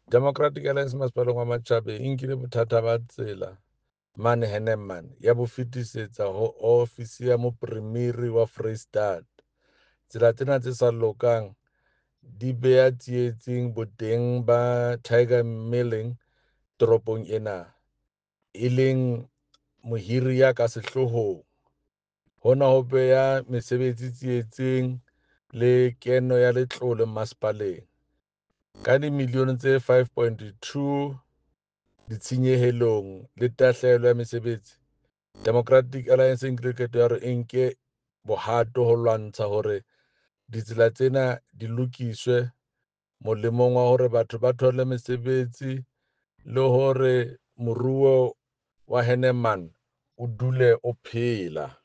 Democratic Alliance Masepaleng wa Matjhabeng e nkile bothata ba tsela mane Hennenman ya bo fetisetsa ho ofisi ya Mopremiri wa Freistata. Tsela tsena tse sa lokang di beha tsietsing boteng ba Tiger Milling toropong ena, e leng mohiri ya ka sehloohong. Hona ho beha mesebetsi tsietsing le keno ya letlole masepaleng. Ka dimilione tse 5.2 ditshenyehelong le tahlehelo ya mesebetsi, Democratic Alliance e nkile qeto ya hore e nke bohato ho lwantsha hore ditsela tsena di lokiswe molemong wa hore batho ba thole mesebetsi le hore moruo wa Hennenman o dule o phela.